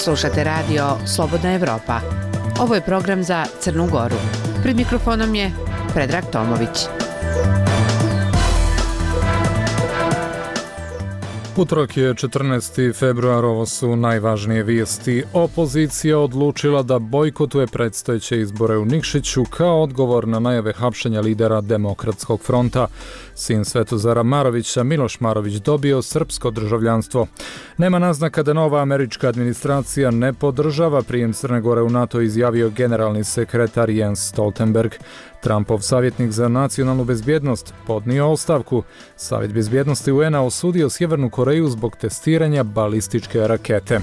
Slušate radio Slobodna Evropa. Ovo je program za Crnu Goru. Pred mikrofonom je Predrag Tomović. Utorak je 14. februar, ovo su najvažnije vijesti. Opozicija odlučila da bojkotuje predstojeće izbore u Nikšiću kao odgovor na najave hapšenja lidera Demokratskog fronta. Sin Svetozara Marovića, Miloš Marović, dobio srpsko državljanstvo. Nema naznaka da nova američka administracija ne podržava prijem Crne Gore u NATO, izjavio generalni sekretar Jens Stoltenberg. Trumpov savjetnik za nacionalnu bezbjednost podnio ostavku. Savjet bezbjednosti UN-a osudio Sjevernu Koreju zbog testiranja balističke rakete.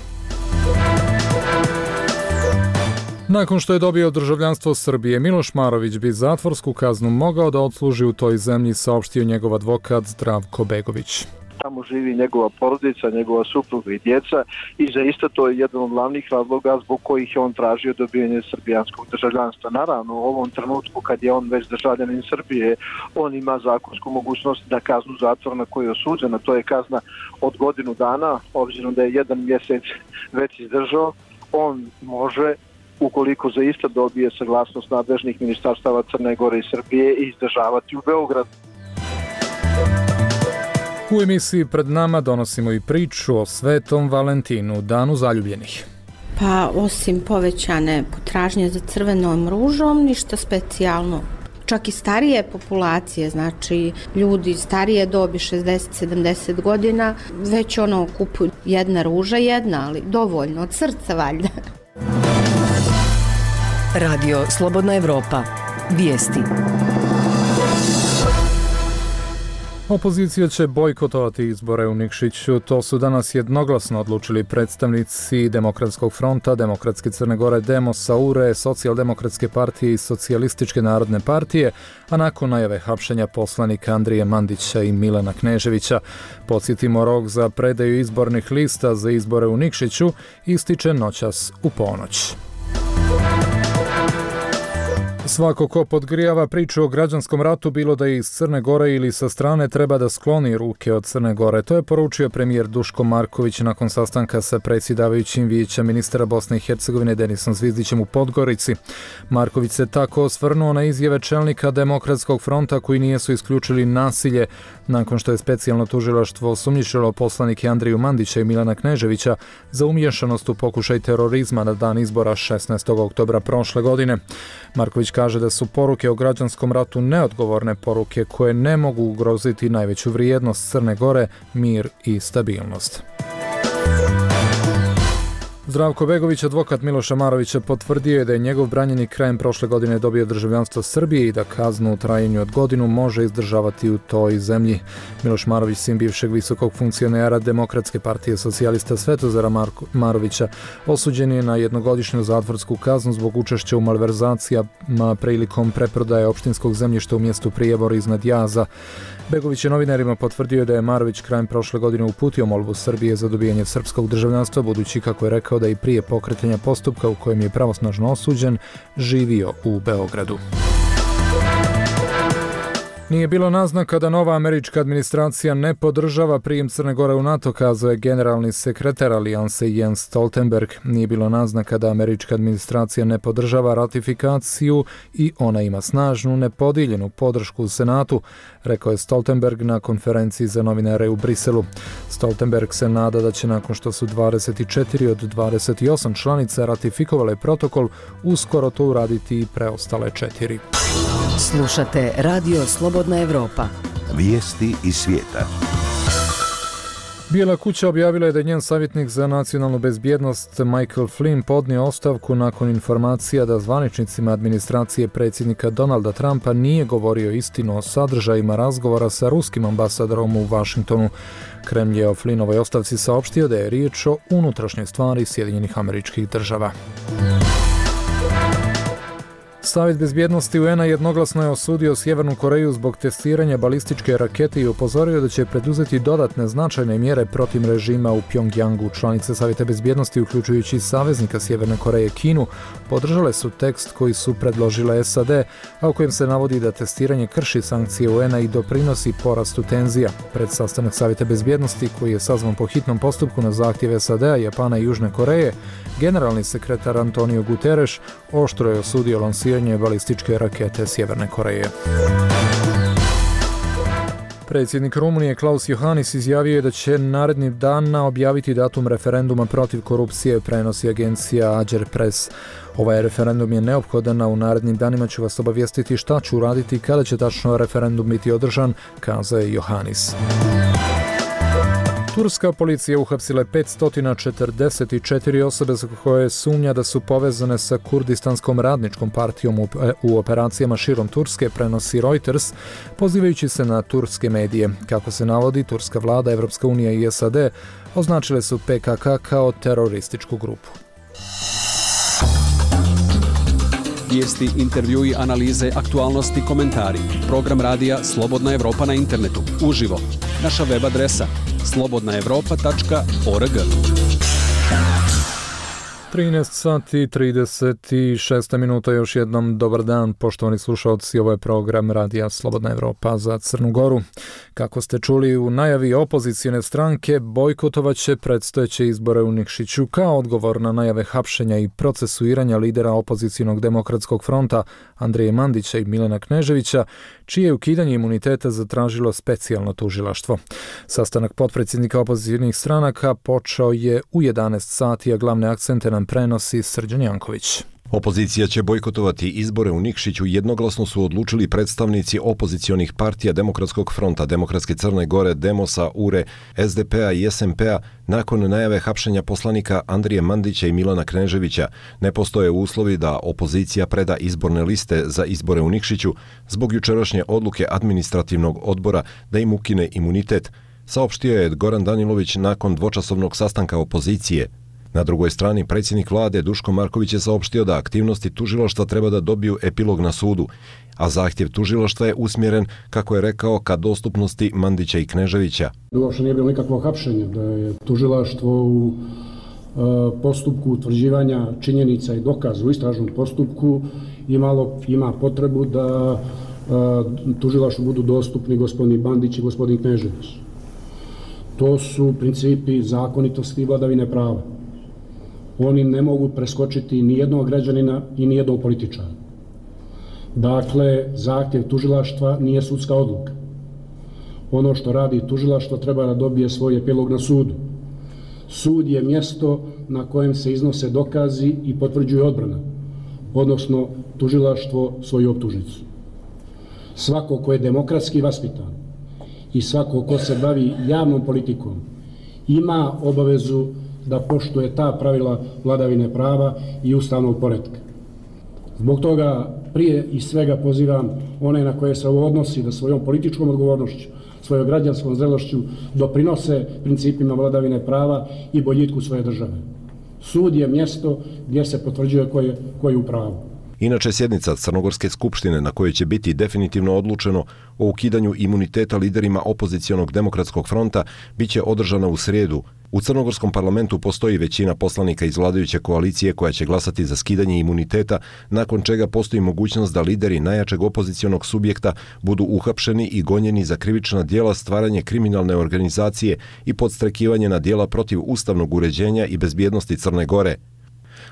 Nakon što je dobio državljanstvo Srbije, Miloš Marović bi zatvorsku kaznu mogao da odsluži u toj zemlji, saopštio njegov advokat Zdravko Begović. Tamo živi njegova porodica, njegova supruga i djeca i zaista to je jedan od glavnih razloga zbog kojih je on tražio dobijanje srbijanskog državljanstva. Naravno, u ovom trenutku kad je on već državljanin Srbije, on ima zakonsku mogućnost da kaznu zatvora na koju je osuđena. To je kazna od godinu dana, obzirom da je 1 mjesec već izdržao, on može, ukoliko zaista dobije saglasnost nadležnih ministarstava Crne Gore i Srbije, izdržavati u Beogradu. U emisiji Pred nama donosimo i priču o Svetom Valentinu, danu zaljubljenih. Pa osim povećane potražnje za crvenom ružom, ništa specijalno. Čak i starije populacije, znači ljudi starije dobi 60-70 godina, već kupuju jedna ruža, ali dovoljno, od srca valjda. Radio Slobodna Evropa. Vijesti. Opozicija će bojkotovati izbore u Nikšiću. To su danas jednoglasno odlučili predstavnici Demokratskog fronta, Demokratske Crne Gore, Demosa, URE, Socijaldemokratske partije i Socijalističke narodne partije, a nakon najave hapšenja poslanika Andrije Mandića i Milana Kneževića. Podsjetimo, rok za predaju izbornih lista za izbore u Nikšiću ističe noćas u ponoć. Svako ko podgrijava priču o građanskom ratu, bilo da je iz Crne Gore ili sa strane, treba da skloni ruke od Crne Gore. To je poručio premijer Duško Marković nakon sastanka sa predsjedavajućim vijeća ministra Bosne i Hercegovine Denisom Zvizdićem u Podgorici. Marković se tako osvrnuo na izjave čelnika Demokratskog fronta koji nisu isključili nasilje nakon što je specijalno tužilaštvo osumnjičilo poslanike Andriju Mandića i Milana Kneževića za umiješanost u pokušaj terorizma na dan izbora 16. oktobra prošle godine. Marković kaže da su poruke o građanskom ratu neodgovorne poruke koje ne mogu ugroziti najveću vrijednost Crne Gore, mir i stabilnost. Zdravko Begović, advokat Miloša Marovića, potvrdio je da je njegov branjenik krajem prošle godine dobio državljanstvo Srbije i da kaznu u trajanju od godinu može izdržavati u toj zemlji. Miloš Marović, sin bivšeg visokog funkcionera Demokratske partije socijalista Svetozara Marovića, osuđen je na jednogodišnju zatvorsku kaznu zbog učešća u malverzacijama prilikom preprodaje opštinskog zemljišta u mjestu Prijebor iznad Jaza. Begović je novinarima potvrdio da je Marović krajem prošle godine uputio molbu Srbije za dobijanje srpskog državljanstva, budući, kako je rekao, da i prije pokretanja postupka u kojem je pravosnažno osuđen živio u Beogradu. Nije bilo naznaka da nova američka administracija ne podržava prijem Crne Gore u NATO, kazao je generalni sekretar alijanse Jens Stoltenberg. Nije bilo naznaka da američka administracija ne podržava ratifikaciju i ona ima snažnu, nepodijeljenu podršku u Senatu, rekao je Stoltenberg na konferenciji za novinare u Briselu. Stoltenberg se nada da će, nakon što su 24 od 28 članica ratifikovale protokol, uskoro to uraditi i preostale 4. Slušate Radio Slobodna Evropa. Vijesti iz svijeta. Bijela kuća objavila je da je njen savjetnik za nacionalnu bezbjednost Michael Flynn podnio ostavku nakon informacija da zvaničnicima administracije predsjednika Donalda Trumpa nije govorio istinu o sadržajima razgovora sa ruskim ambasadorom u Washingtonu. Kremlj je o Flynnovoj ostavci saopštio da je riječ o unutrašnjoj stvari Sjedinjenih Američkih Država. Savjet bezbjednosti UN-a jednoglasno je osudio Sjevernu Koreju zbog testiranja balističke rakete i upozorio da će preduzeti dodatne značajne mjere protiv režima u Pjongjangu. Članice Savjeta bezbjednosti, uključujući saveznika Sjeverne Koreje Kinu, podržale su tekst koji su predložile SAD, a u kojem se navodi da testiranje krši sankcije UN-a i doprinosi porastu tenzija. Pred sastanak Savjeta bezbjednosti, koji je sazvan po hitnom postupku na zahtjev SAD-a, Japana i Južne Koreje, generalni sekretar Antonio Guterres oštro je osudio lansiranje balističke rakete Sjeverne Koreje. Predsjednik Rumunije Klaus Iohannis izjavio je da će narednih dana objaviti datum referenduma protiv korupcije, prenosi agencija Ager Press. Ovaj referendum je neophodan, a u narednim danima ću vas obavijestiti šta ću uraditi kada će tačno referendum biti održan, kazao je Iohannis. Turska policija uhapsila je 544 osobe za koje sumnja da su povezane sa Kurdistanskom radničkom partijom u operacijama širom Turske, prenosi Reuters, pozivajući se na turske medije. Kako se navodi, turska vlada, Evropska unija i SAD označile su PKK kao terorističku grupu. Vijesti, intervjui, analize, aktualnosti, komentari. Program radija Slobodna Evropa na internetu. Uživo. Naša web adresa slobodnaevropa.org. 13 sati 36 minuta, još jednom dobar dan, poštovani slušalci, ovo je program radija Slobodna Evropa za Crnu Goru. Kako ste čuli u najavi, opozicijne stranke bojkotovat će predstojeće izbore u Nikšiću kao odgovor na najave hapšenja i procesuiranja lidera opozicijnog demokratskog fronta Andrije Mandića i Milana Kneževića, čije ukidanje imuniteta zatražilo specijalno tužilaštvo. Sastanak potpredsjednika opozicijnih stranaka počeo je u 11 sati, a glavne akcente nam prenosi Srđan Janković. Opozicija će bojkotovati izbore u Nikšiću, jednoglasno su odlučili predstavnici opozicionih partija Demokratskog fronta, Demokratske Crne Gore, Demosa, URE, SDP-a i SMP-a nakon najave hapšenja poslanika Andrije Mandića i Milana Kneževića. Ne postoje uslovi da opozicija preda izborne liste za izbore u Nikšiću zbog jučerašnje odluke administrativnog odbora da im ukine imunitet, saopštio je Goran Danilović nakon dvočasovnog sastanka opozicije. Na drugoj strani, predsjednik vlade Duško Marković je saopštio da aktivnosti tužilaštva treba da dobiju epilog na sudu, a zahtjev tužilaštva je usmjeren, kako je rekao, ka dostupnosti Mandića i Kneževića. Uopšte nije bilo nikakvo hapšenje, da je tužilaštvo u postupku utvrđivanja činjenica i dokaza u istražnom postupku ima potrebu da tužilaštvu budu dostupni gospodin Bandić i gospodin Knežević. To su principi zakonitosti i vladavine prava. Oni ne mogu preskočiti ni jednog građanina i ni jednog političara. Dakle, zahtjev tužilaštva nije sudska odluka. Ono što radi tužilaštvo treba da dobije svoj epilog na sudu. Sud je mjesto na kojem se iznose dokazi i potvrđuje odbrana, odnosno tužilaštvo svoju optužnicu. Svako ko je demokratski vaspitan i svako ko se bavi javnom politikom ima obavezu da poštuje ta pravila vladavine prava i ustavnog poretka. Zbog toga prije i svega pozivam one na koje se ovo odnosi da svojom političkom odgovornošću, svojom građanskom zrelošću doprinose principima vladavine prava i boljitku svoje države. Sud je mjesto gdje se potvrđuje ko je u pravu. Inače, sjednica Crnogorske skupštine na kojoj će biti definitivno odlučeno o ukidanju imuniteta liderima opozicionog demokratskog fronta biće održana u srijedu. U Crnogorskom parlamentu postoji većina poslanika iz vladajuće koalicije koja će glasati za skidanje imuniteta, nakon čega postoji mogućnost da lideri najjačeg opozicionog subjekta budu uhapšeni i gonjeni za krivična djela, stvaranje kriminalne organizacije i podstrekivanje na djela protiv ustavnog uređenja i bezbjednosti Crne Gore.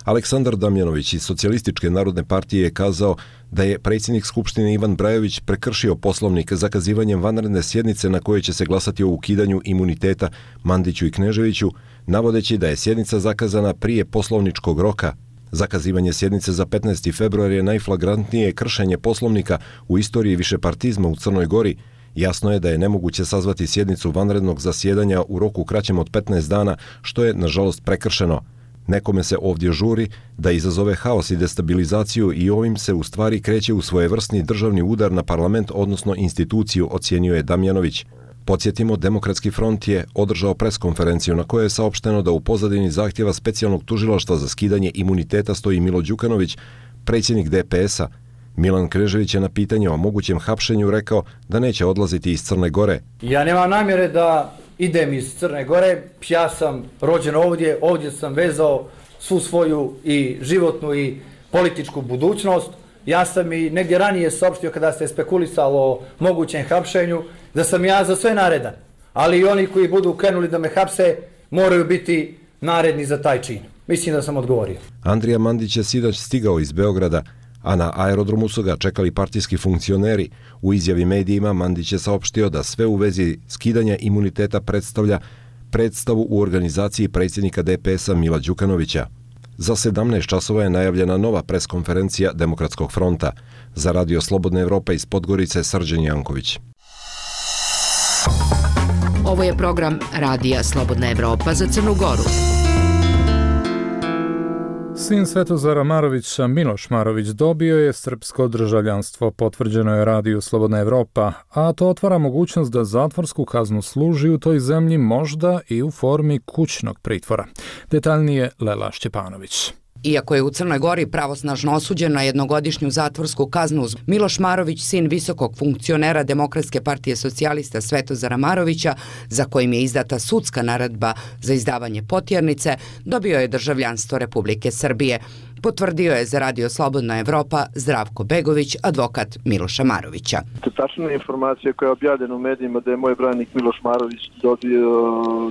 Aleksandar Damjanović iz Socijalističke narodne partije je kazao da je predsjednik Skupštine Ivan Brajović prekršio poslovnik zakazivanjem vanredne sjednice na kojoj će se glasati o ukidanju imuniteta Mandiću i Kneževiću, navodeći da je sjednica zakazana prije poslovničkog roka. Zakazivanje sjednice za 15. februar je najflagrantnije kršenje poslovnika u istoriji višepartizma u Crnoj Gori. Jasno je da je nemoguće sazvati sjednicu vanrednog zasjedanja u roku kraćem od 15 dana, što je, nažalost, prekršeno. Nekome se ovdje žuri da izazove haos i destabilizaciju i ovim se u stvari kreće u svojevrsni državni udar na parlament, odnosno instituciju, ocjenjuje je Damjanović. Podsjetimo, Demokratski front je održao preskonferenciju na kojoj je saopšteno da u pozadini zahtjeva specijalnog tužilaštva za skidanje imuniteta stoji Milo Đukanović, predsjednik DPS-a. Milan Krežević je na pitanje o mogućem hapšenju rekao da neće odlaziti iz Crne Gore. Ja nemam namjere da idem iz Crne Gore, ja sam rođen ovdje sam vezao svu svoju i životnu i političku budućnost. Ja sam i negdje ranije saopštio kada se spekulisalo o mogućem hapšenju da sam ja za sve naredan, ali i oni koji budu krenuli da me hapse moraju biti naredni za taj čin. Mislim da sam odgovorio. Andrija Mandić je sinoć stigao iz Beograda, a na aerodromu su ga čekali partijski funkcioneri. U izjavi medijima Mandić je saopštio da sve u vezi skidanja imuniteta predstavlja predstavu u organizaciji predsjednika DPS-a Mila Đukanovića. Za 17 časova je najavljena nova preskonferencija Demokratskog fronta. Za Radio Slobodna Evropa iz Podgorice Srđan Janković. Ovo je program Radija Slobodna Evropa za Crnu Goru. Sin Svetozara Marovića, Miloš Marović, dobio je srpsko državljanstvo, potvrđeno je Radiju Slobodna Evropa, a to otvara mogućnost da zatvorsku kaznu služi u toj zemlji možda i u formi kućnog pritvora. Detaljnije Lela Šćepanović. Iako je u Crnoj Gori pravosnažno osuđen na jednogodišnju zatvorsku kaznu, Miloš Marović, sin visokog funkcionera Demokratske partije socijalista Svetozara Marovića, za kojim je izdata sudska naredba za izdavanje potjernice, dobio je državljanstvo Republike Srbije. Potvrdio je za Radio Slobodna Evropa Zdravko Begović, advokat Miloša Marovića. Tačna informacija koja je objavljena u medijima da je moj branik Miloš Marović dobio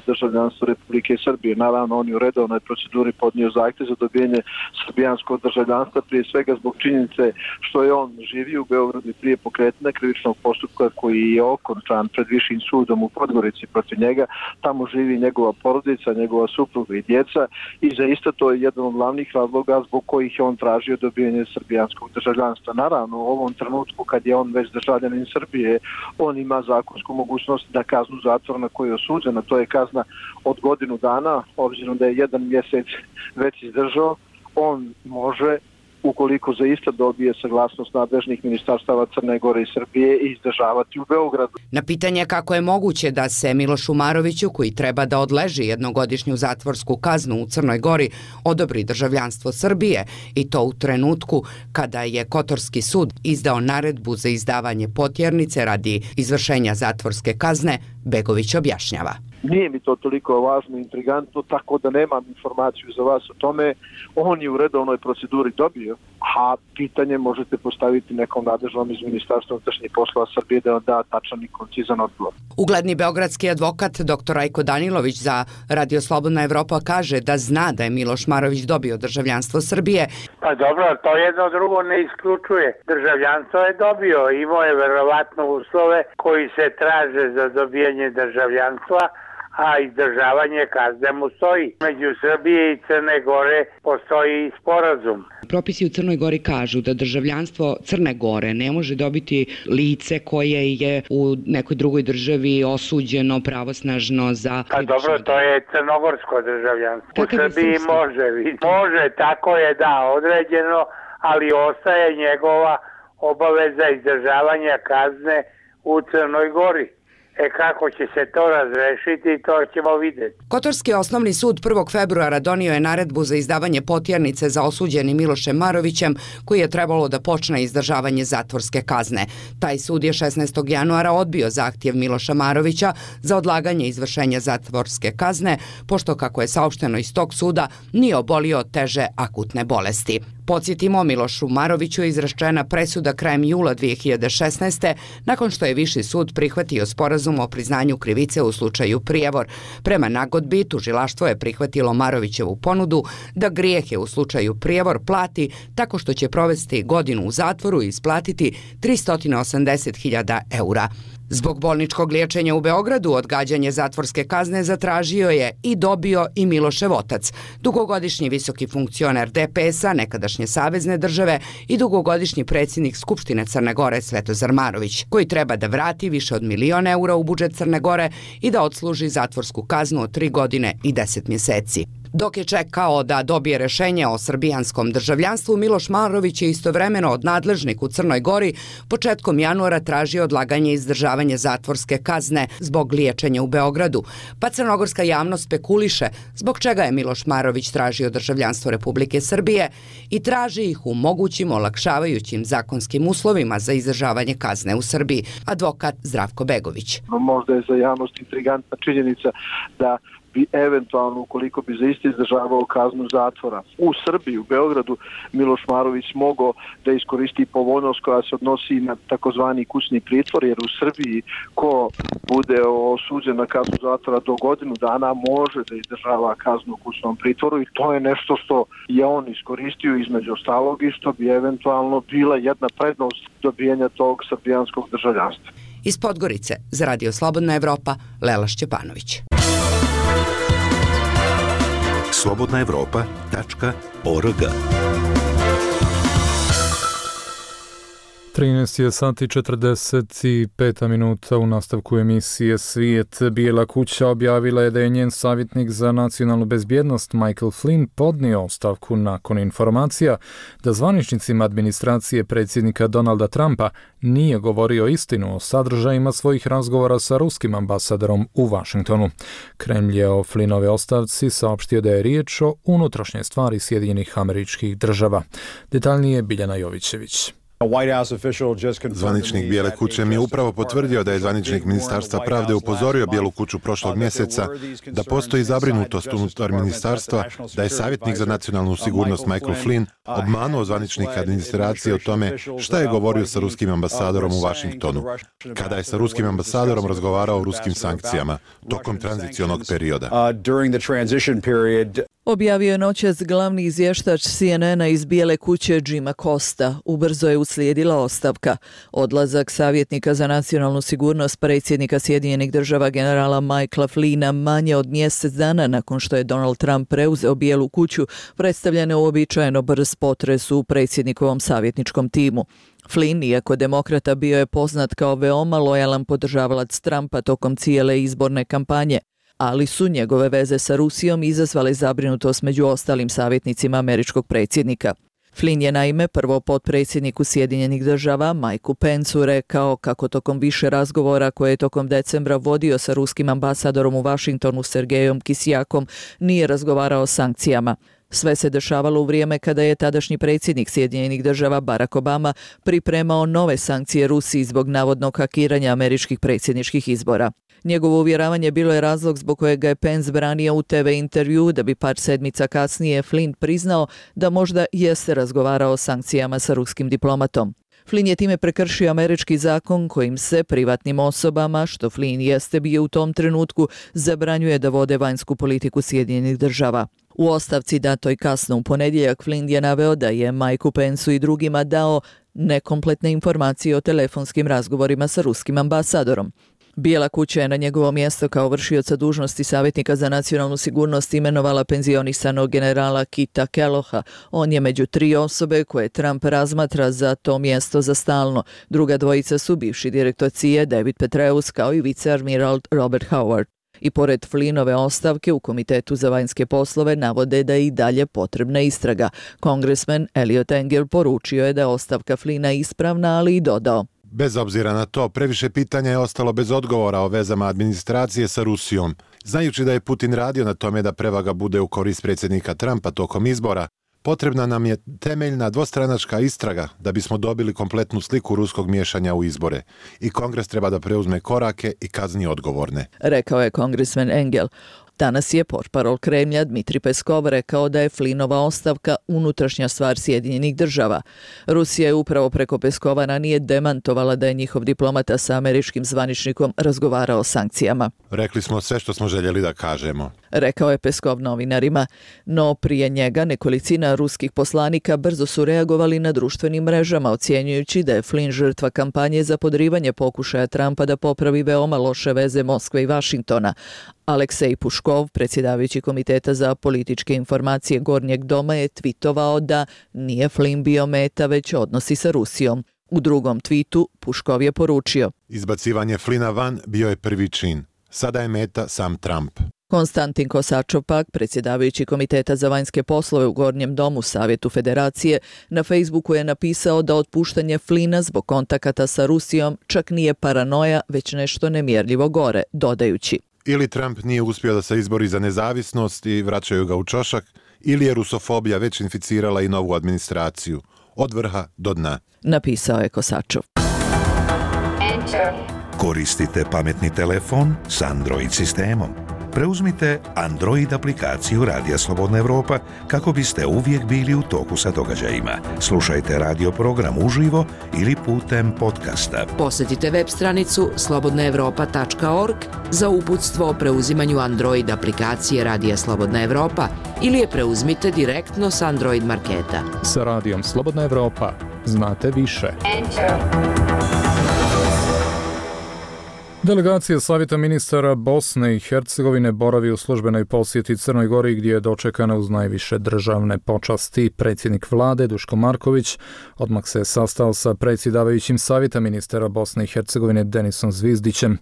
državljanstvo Republike Srbije. Naravno, on je u redovnoj proceduri podnio zahtjev za dobijanje srbijanskog državljanstva, prije svega zbog činjenice što je on živio u Beogradu i prije pokretanja krivičnog postupka koji je okončan pred višim sudom u Podgorici protiv njega. Tamo živi njegova porodica, njegova supruga i djeca i zaista to je jedan od glavnih razloga zbog kojih je on tražio dobijanje srbijanskog državljanstva. Naravno, u ovom trenutku kad je on već državljanin Srbije, on ima zakonsku mogućnost da kaznu zatvora na koju je osuđena, to je kazna od godinu dana, obzirom da je 1 mjesec već izdržao, on može, ukoliko zaista dobije saglasnost nadležnih ministarstava Crne Gore i Srbije, izdržavati u Beogradu. Na pitanje kako je moguće da se Milošu Maroviću, koji treba da odleži jednogodišnju zatvorsku kaznu u Crnoj Gori, odobri državljanstvo Srbije, i to u trenutku kada je Kotorski sud izdao naredbu za izdavanje potjernice radi izvršenja zatvorske kazne, Begović objašnjava. Nije mi to toliko važno i intrigantno, tako da nemam informaciju za vas o tome. On je u redovnoj proceduri dobio, a pitanje možete postaviti nekom nadležnom iz Ministarstva unutrašnjih poslova Srbije da vam da tačan i koncizan odgovor. Ugledni beogradski advokat dr. Rajko Danilović za Radio Slobodna Evropa kaže da zna da je Miloš Marović dobio državljanstvo Srbije. Pa dobro, to jedno drugo ne isključuje. Državljanstvo je dobio, imao je verovatno uslove koji se traže za dobijanje državljanstva, a izdržavanje kazne mu stoji. Među Srbije i Crne Gore postoji sporazum. Propisi u Crnoj Gori kažu da državljanstvo Crne Gore ne može dobiti lice koje je u nekoj drugoj državi osuđeno pravosnažno za... Pa dobro, to je crnogorsko državljanstvo. U Srbiji može, tako je određeno, ali ostaje njegova obaveza izdržavanja kazne u Crnoj Gori. Kako će se to razrešiti, to ćemo vidjeti. Kotorski osnovni sud 1. februara donio je naredbu za izdavanje potjernice za osuđeni Milošem Marovićem, koji je trebalo da počne izdržavanje zatvorske kazne. Taj sud je 16. januara odbio zahtjev Miloša Marovića za odlaganje izvršenja zatvorske kazne, pošto, kako je saopšteno iz tog suda, nije obolio od teže akutne bolesti. Podsjetimo, Milošu Maroviću je izrečena presuda krajem jula 2016. nakon što je Viši sud prihvatio sporazum o priznanju krivice u slučaju Prijevor. Prema nagodbi, tužilaštvo je prihvatilo Marovićevu ponudu da grijehe u slučaju Prijevor plati tako što će provesti godinu u zatvoru i isplatiti 380.000 eura. Zbog bolničkog liječenja u Beogradu odgađanje zatvorske kazne zatražio je i dobio i Milošev otac, dugogodišnji visoki funkcioner DPS-a, nekadašnje savezne države, i dugogodišnji predsjednik Skupštine Crne Gore Svetozar Marović, koji treba da vrati više od 1.000.000 eura u budžet Crne Gore i da odsluži zatvorsku kaznu od 3 godine i 10 mjeseci. Dok je čekao da dobije rešenje o srbijanskom državljanstvu, Miloš Marović je istovremeno od nadležnih u Crnoj Gori početkom januara tražio odlaganje izdržavanja zatvorske kazne zbog liječenja u Beogradu, pa crnogorska javnost spekuliše zbog čega je Miloš Marović tražio državljanstvo Republike Srbije i traži ih u mogućim olakšavajućim zakonskim uslovima za izdržavanje kazne u Srbiji. Advokat Zdravko Begović. Možda je za javnost intrigantna činjenica da bi eventualno, ukoliko bi za isti izdržavao kaznu zatvora u Srbiji, u Beogradu, Miloš Marović mogao da iskoristi povoljnost koja se odnosi na takozvani kućni pritvor, jer u Srbiji ko bude osuđen na kaznu zatvora do godinu dana može da izdržava kaznu u kućnom pritvoru i to je nešto što je on iskoristio između ostalog i što bi eventualno bila jedna prednost dobijanja tog srbijanskog državljanstva. Iz Podgorice za Radio Slobodna Evropa, Lela Šćepanović. slobodnaevropa.org 13:45 u nastavku emisije Svijet. Bijela kuća objavila je da je njen savjetnik za nacionalnu bezbjednost Michael Flynn podnio ostavku nakon informacija da zvaničnicima administracije predsjednika Donalda Trumpa nije govorio istinu o sadržajima svojih razgovora sa ruskim ambasadorom u Vašingtonu. Kremlj je o Flynnove ostavci saopštio da je riječ o unutrašnjoj stvari Sjedinjenih Američkih Država. Detaljnije Biljana Jovićević. Zvaničnik Bijele kuće mi je upravo potvrdio da je zvaničnik Ministarstva pravde upozorio Bijelu kuću prošlog mjeseca da postoji zabrinutost unutar ministarstva, da je savjetnik za nacionalnu sigurnost Michael Flynn obmanuo zvaničnika administracije o tome šta je govorio sa ruskim ambasadorom u Vašingtonu, kada je sa ruskim ambasadorom razgovarao o ruskim sankcijama tokom tranzicionog perioda. Objavio je noćas glavni izvještač CNN-a iz Bijele kuće Jima Costa. Ubrzo je uslijedila ostavka. Odlazak savjetnika za nacionalnu sigurnost predsjednika Sjedinjenih Država generala Michaela Flynna manje od mjesec dana nakon što je Donald Trump preuzeo Bijelu kuću predstavlja neuobičajeno brz potres u predsjednikovom savjetničkom timu. Flynn, iako demokrata, bio je poznat kao veoma lojalan podržavalac Trumpa tokom cijele izborne kampanje, ali su njegove veze sa Rusijom izazvale zabrinutost među ostalim savjetnicima američkog predsjednika. Flynn je naime prvo potpredsjedniku Sjedinjenih Država Mikeu Penceu rekao kako tokom više razgovora koje je tokom decembra vodio sa ruskim ambasadorom u Vašingtonu Sergejom Kisjakom nije razgovarao o sankcijama. Sve se dešavalo u vrijeme kada je tadašnji predsjednik Sjedinjenih Država Barack Obama pripremao nove sankcije Rusiji zbog navodnog hakiranja američkih predsjedničkih izbora. Njegovo uvjeravanje bilo je razlog zbog kojeg ga je Pence branio u TV intervju, da bi par sedmica kasnije Flynn priznao da možda jeste razgovarao o sankcijama sa ruskim diplomatom. Flynn je time prekršio američki zakon kojim se privatnim osobama, što Flynn jeste bio u tom trenutku, zabranjuje da vode vanjsku politiku Sjedinjenih Država. U ostavci datoj kasno u ponedjeljak Flynn je naveo da je Mikeu Penceu i drugima dao nekompletne informacije o telefonskim razgovorima sa ruskim ambasadorom. Bijela kuća je na njegovo mjesto kao vršioca dužnosti savjetnika za nacionalnu sigurnost imenovala penzionisanog generala Kita Kelloha. On je među 3 osobe koje Trump razmatra za to mjesto za stalno. Druga dvojica su bivši direktor CIA David Petraeus kao i viceadmiral Robert Howard. I pored Flynnove ostavke u Komitetu za vanjske poslove navode da je i dalje potrebna istraga. Kongresmen Eliot Engel poručio je da je ostavka Flynna ispravna, ali i dodao: bez obzira na to, previše pitanja je ostalo bez odgovora o vezama administracije sa Rusijom. Znajući da je Putin radio na tome da prevaga bude u korist predsjednika Trumpa tokom izbora, potrebna nam je temeljna dvostranačka istraga da bismo dobili kompletnu sliku ruskog miješanja u izbore. I Kongres treba da preuzme korake i kazni odgovorne, rekao je kongresmen Engel. Danas je portparol Kremlja Dmitri Peskov rekao da je Flynnova ostavka unutrašnja stvar Sjedinjenih Država. Rusija je upravo preko Peskova ranije demantovala da je njihov diplomata sa američkim zvaničnikom razgovarao o sankcijama. Rekli smo sve što smo željeli da kažemo, rekao je Peskov novinarima. No prije njega nekolicina ruskih poslanika brzo su reagovali na društvenim mrežama, ocjenjujući da je Flynn žrtva kampanje za podrivanje pokušaja Trumpa da popravi veoma loše veze Moskve i Vašingtona. Aleksej Puškov, predsjedavajući Komiteta za političke informacije Gornjeg doma, je tvitovao da nije Flynn bio meta, već odnosi sa Rusijom. U drugom tvitu Puškov je poručio: izbacivanje Flynna van bio je prvi čin. Sada je meta sam Trump. Konstantin Kosačov pak, predsjedavajući Komiteta za vanjske poslove u Gornjem domu Savjetu Federacije, na Facebooku je napisao da otpuštanje Flina zbog kontakata sa Rusijom čak nije paranoja, već nešto nemjerljivo gore, dodajući: ili Trump nije uspio da se izbori za nezavisnost i vraćaju ga u čošak, ili je rusofobija već inficirala i novu administraciju, od vrha do dna. Napisao je Kosačov. Koristite pametni telefon s Android sistemom. Preuzmite Android aplikaciju Radija Slobodna Evropa kako biste uvijek bili u toku sa događajima. Slušajte radio program uživo ili putem podcasta. Posjetite web stranicu slobodnaevropa.org za uputstvo o preuzimanju Android aplikacije Radija Slobodna Evropa ili je preuzmite direktno s Android marketa. Sa Radijom Slobodna Evropa znate više. Delegacija Savjeta ministara Bosne i Hercegovine boravi u službenoj posjeti Crnoj Gori gdje je dočekana uz najviše državne počasti. Predsjednik vlade Duško Marković odmah se sastao sa predsjedavajućim Savjeta ministara Bosne i Hercegovine Denisom Zvizdićem.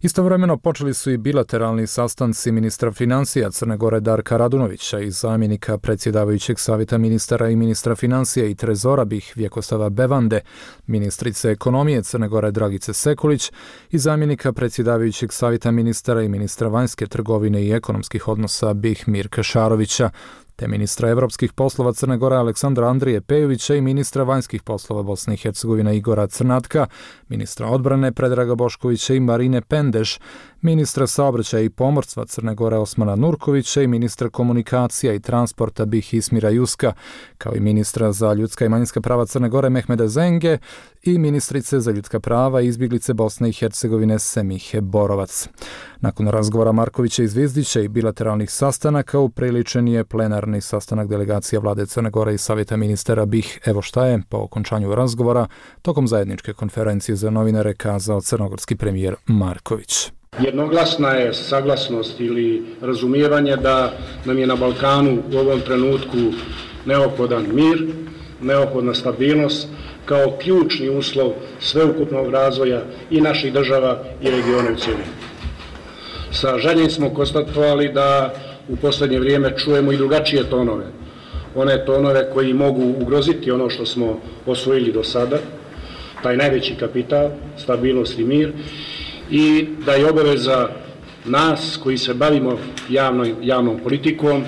Istovremeno počeli su i bilateralni sastanci ministra financija Crne Gore Darka Radunovića i zamjenika predsjedavajućeg Savjeta ministara i ministra financija i trezora BiH Vjekostava Bevande, ministrice ekonomije Crne Gore Dragice Sekulić i zamjenika predsjedavajućeg Savjeta ministara i ministra vanjske trgovine i ekonomskih odnosa BiH Mirka Šarovića, te ministra evropskih poslova Crne Gore Aleksandra Andrije Pejovića i ministra vanjskih poslova Bosne i Hercegovine Igora Crnatka, ministra odbrane Predraga Boškovića i Marine Pendeš, ministra saobraćaja i pomorstva Crne Gore Osmana Nurkovića i ministra komunikacija i transporta BiH Ismira Juska, kao i ministra za ljudska i manjinska prava Crne Gore Mehmeda Zenge i ministrice za ljudska prava i izbjeglice Bosne i Hercegovine Semihe Borovac. Nakon razgovora Markovića i Zvizdića i bilateralnih sastanaka upriličen je plenarni sastanak delegacija vlade Crne Gore i Savjeta ministara BiH. Evo šta je po okončanju razgovora tokom zajedničke konferencije za novinare kazao crnogorski premijer Marković. Jednoglasna je saglasnost ili razumijevanje da nam je na Balkanu u ovom trenutku neophodan mir, neophodna stabilnost kao ključni uslov sveukupnog razvoja i naših država i regiona u cjelini. Sa žaljenjem smo konstatovali da u posljednje vrijeme čujemo i drugačije tonove. One tonove koji mogu ugroziti ono što smo osvojili do sada, taj najveći kapital, stabilnost i mir, i da je obaveza nas koji se bavimo javnom politikom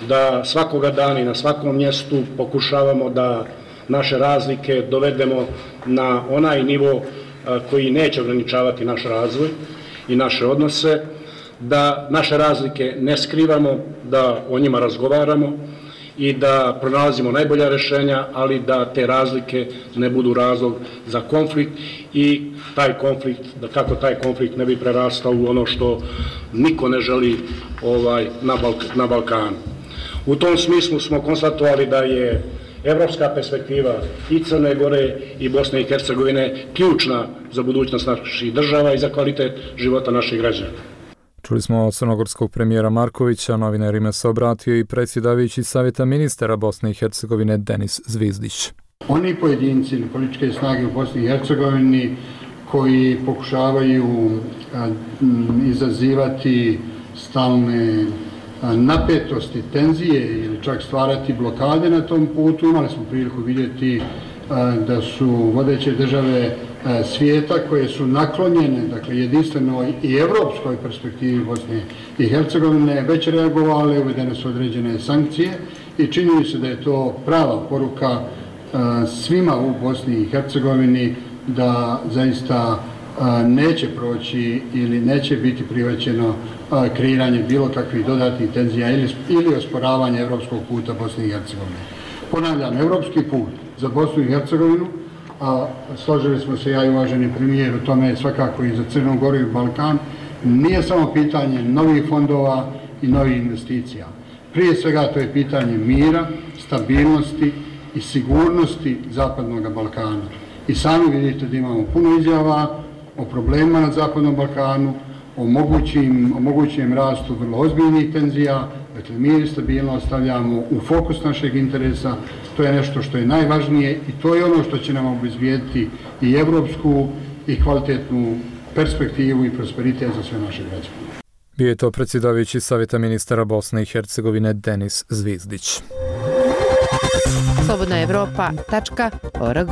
da svakoga dana i na svakom mjestu pokušavamo da naše razlike dovedemo na onaj nivo koji neće ograničavati naš razvoj i naše odnose, da naše razlike ne skrivamo, da o njima razgovaramo i da pronalazimo najbolja rješenja, ali da te razlike ne budu razlog za konflikt i taj konflikt, da kako taj konflikt ne bi prerastao u ono što niko ne želi na Balkanu. U tom smislu smo konstatovali da je evropska perspektiva i Crne Gore i Bosne i Hercegovine ključna za budućnost naših država i za kvalitet života naših građana. Čuli smo od crnogorskog premijera Markovića, novinarima se obratio i predsjedavajući Savjeta ministara Bosne i Hercegovine Denis Zvizdić. Oni pojedinci ili političke snage u Bosni i Hercegovini koji pokušavaju izazivati stalne napetosti, tenzije ili čak stvarati blokade na tom putu, imali smo priliku vidjeti da su vodeće države svijeta koje su naklonjene, dakle jedinstvenoj i evropskoj perspektivi Bosne i Hercegovine, već reagovale, uvedene su određene sankcije i čini se da je to prava poruka svima u Bosni i Hercegovini da zaista neće proći ili neće biti prihvaćeno kreiranje bilo kakvih dodatnih tenzija ili osporavanje evropskog puta Bosne i Hercegovine. Ponavljam, evropski put za Bosnu i Hercegovinu, a složili smo se ja i uvaženi premijer u tome svakako i za Crnu Goru i Balkan, nije samo pitanje novih fondova i novih investicija. Prije svega to je pitanje mira, stabilnosti i sigurnosti Zapadnog Balkana. I sami vidite da imamo puno izjava o problemima na Zapadnom Balkanu, o mogućem rastu vrlo ozbiljnih tenzija. Dakle, mir i stabilnost stavljamo u fokus našeg interesa, to je nešto što je najvažnije i to je ono što će nam obezbijediti i evropsku i kvalitetnu perspektivu i prosperitet za sve naše građane. Bio je to predsjedavajući Savjeta ministara Bosne i Hercegovine Denis Zvizdić. slobodnaevropa.org.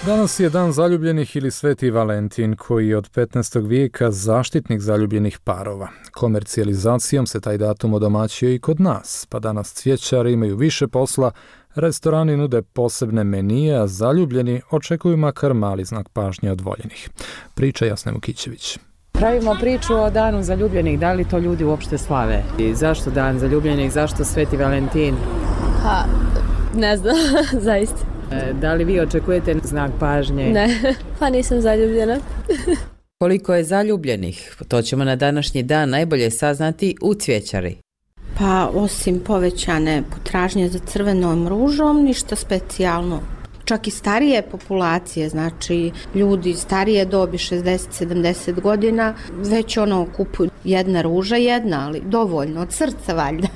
Danas je dan zaljubljenih ili Sveti Valentin, koji je od 15. vijeka zaštitnik zaljubljenih parova. Komercijalizacijom se taj datum odomaćio i kod nas, pa danas cvjećari imaju više posla, restorani nude posebne menije, a zaljubljeni očekuju makar mali znak pažnje od voljenih. Priča Jasna Vukićević. Pravimo priču o danu zaljubljenih, da li to ljudi uopšte slave? I zašto dan zaljubljenih, zašto Sveti Valentin? Pa, ne znam, zaista. Da li vi očekujete znak pažnje? Ne, pa nisam zaljubljena. Koliko je zaljubljenih? To ćemo na današnji dan najbolje saznati u Cvjećari. Pa, osim povećane potražnje za crvenom ružom, ništa specijalno. Čak i starije populacije, znači ljudi starije dobi 60-70 godina, već kupuju jedna ruža, ali dovoljno, od srca valjda.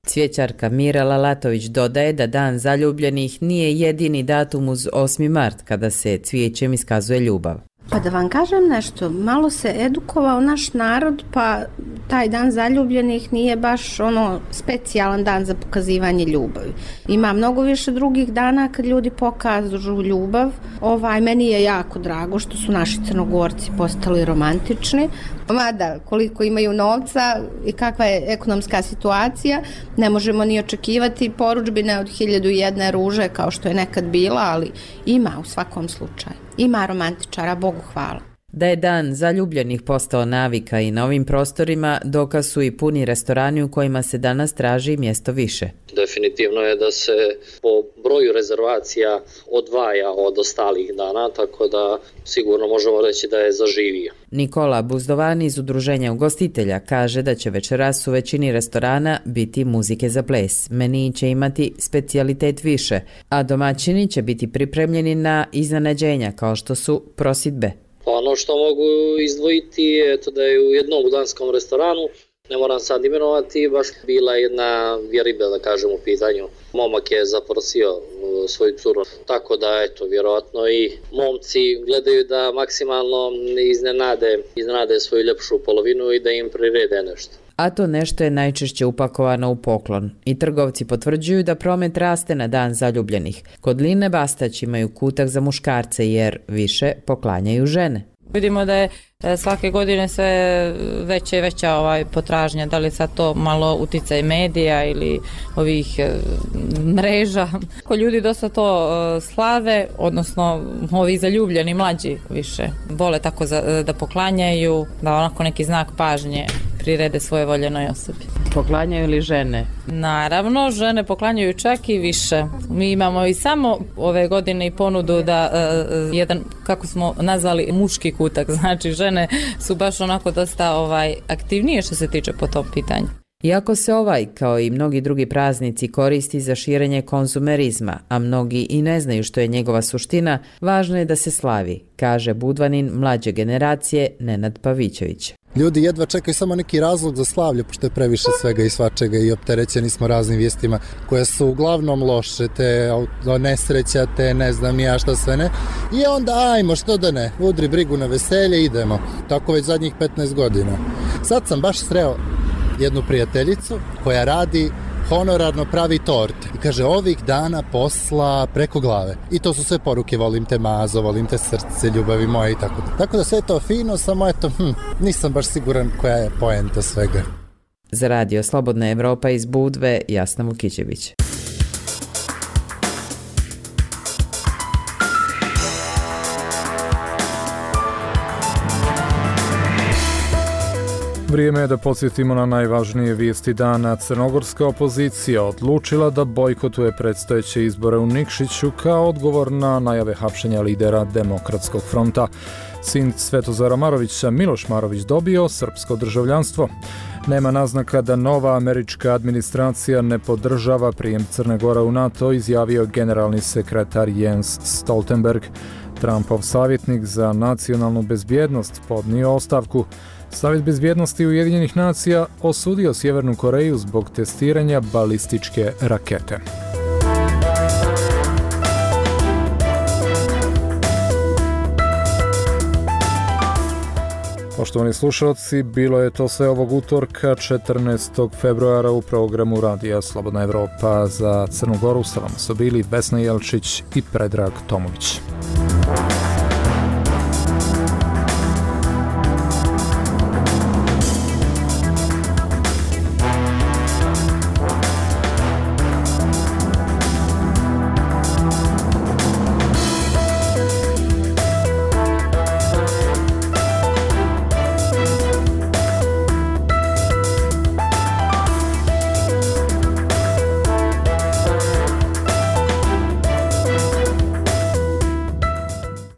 Cvjećarka Mira Lalatović dodaje da dan zaljubljenih nije jedini datum uz 8. mart kada se cvijećem iskazuje ljubav. Pa da vam kažem nešto, malo se edukovao naš narod, pa taj dan zaljubljenih nije baš specijalan dan za pokazivanje ljubavi. Ima mnogo više drugih dana kad ljudi pokažu ljubav. Meni je jako drago što su naši Crnogorci postali romantični. Mada koliko imaju novca i kakva je ekonomska situacija, ne možemo ni očekivati porudžbine od 1001 ruže kao što je nekad bila, ali ima u svakom slučaju. Ima romantičara, Bogu hvala. Da je dan zaljubljenih postao navika i na ovim prostorima, dokaz su i puni restorani u kojima se danas traži mjesto više. Definitivno je da se po broju rezervacija odvaja od ostalih dana, tako da sigurno možemo reći da je zaživio. Nikola Buzdovani iz Udruženja ugostitelja kaže da će večeras u većini restorana biti muzike za ples. Meniji će imati specijalitet više, a domaćini će biti pripremljeni na iznenađenja kao što su prosidbe. Ono što mogu izdvojiti je da je u jednom budanskom restoranu, ne moram sad imenovati, baš bila jedna vjeribe, da kažem, u pitanju. Momak je zaprosio svoju curu, tako da vjerojatno i momci gledaju da maksimalno iznenade svoju ljepšu polovinu i da im prirede nešto. A to nešto je najčešće upakovano u poklon. I trgovci potvrđuju da promet raste na dan zaljubljenih. Kod Line Bastać imaju kutak za muškarce jer više poklanjaju žene. Vidimo da je svake godine sve veća i veća potražnja, da li sad to malo uticaj medija ili ovih mreža. Ljudi dosta to slave, odnosno ovi zaljubljeni mlađi više vole tako da poklanjaju, da onako neki znak pažnje prirede svoje voljenoj osobi. Poklanjaju li žene? Naravno, žene poklanjaju čak i više. Mi imamo i samo ove godine i ponudu da jedan, kako smo nazvali, muški kutak. Znači, žene su baš onako dosta aktivnije što se tiče po tom pitanju. Iako se kao i mnogi drugi praznici koristi za širenje konzumerizma, a mnogi i ne znaju što je njegova suština, važno je da se slavi, kaže Budvanin mlađe generacije Nenad Pavićević. Ljudi jedva čekaju samo neki razlog za slavlje, pošto je previše svega i svačega i opterećeni smo raznim vijestima koje su uglavnom loše, te nesreća, te ne znam ja šta sve ne. I onda ajmo, što da ne, udri brigu na veselje, idemo. Tako već zadnjih 15 godina. Sad sam baš sreo jednu prijateljicu koja radi honorarno pravi torte. I kaže, ovih dana posla preko glave. I to su sve poruke, volim te mazo, volim te srce, ljubavi moje i tako da. Tako da sve je to fino, samo nisam baš siguran koja je poenta svega. Za radio Slobodna Evropa iz Budve, Jasna Vukićević. Vrijeme je da podsjetimo na najvažnije vijesti dana. Crnogorska opozicija odlučila da bojkotuje predstojeće izbore u Nikšiću kao odgovor na najave hapšenja lidera Demokratskog fronta. Sin Svetozara Marovića, Miloš Marović, dobio srpsko državljanstvo. Nema naznaka da nova američka administracija ne podržava prijem Crne Gore u NATO, izjavio generalni sekretar Jens Stoltenberg. Trumpov savjetnik za nacionalnu bezbjednost podnio ostavku. Savjet bezbjednosti Ujedinjenih nacija osudio Sjevernu Koreju zbog testiranja balističke rakete. Poštovani slušalci, bilo je to sve ovog utorka 14. februara u programu Radija Slobodna Evropa. Za Crnu Goru sa vama su bili Vesna Jelčić i Predrag Tomović.